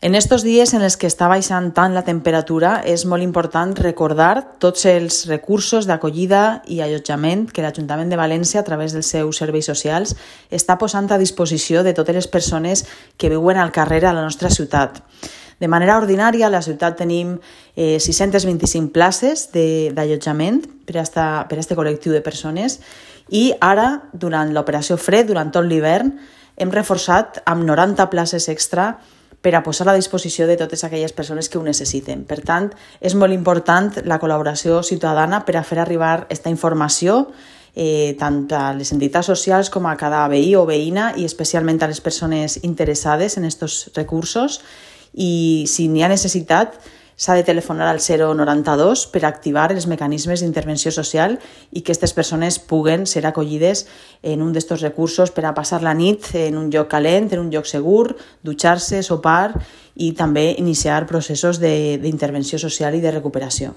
En estos dies en els que està baixant tant la temperatura és molt important recordar tots els recursos d'acollida i allotjament que l'Ajuntament de València, a través dels seus serveis socials, està posant a disposició de totes les persones que viuen al carrer a la nostra ciutat. De manera ordinària, a la ciutat tenim 625 places d'allotjament per a aquest col·lectiu de persones i ara, durant l'operació Fred, durant tot l'hivern, hem reforçat amb 90 places extra per a posar a disposició de totes aquelles persones que ho necessiten. Per tant, és molt important la col·laboració ciutadana per a fer arribar aquesta informació tant a les entitats socials com a cada veí o veïna i especialment a les persones interessades en aquests recursos. I si n'hi ha necessitat, s'ha de telefonar al 092 per activar els mecanismes d'intervenció social i que aquestes persones puguen ser acollides en un d'aquests recursos per a passar la nit en un lloc calent, en un lloc segur, dutxar-se, sopar i també iniciar processos d'intervenció social i de recuperació.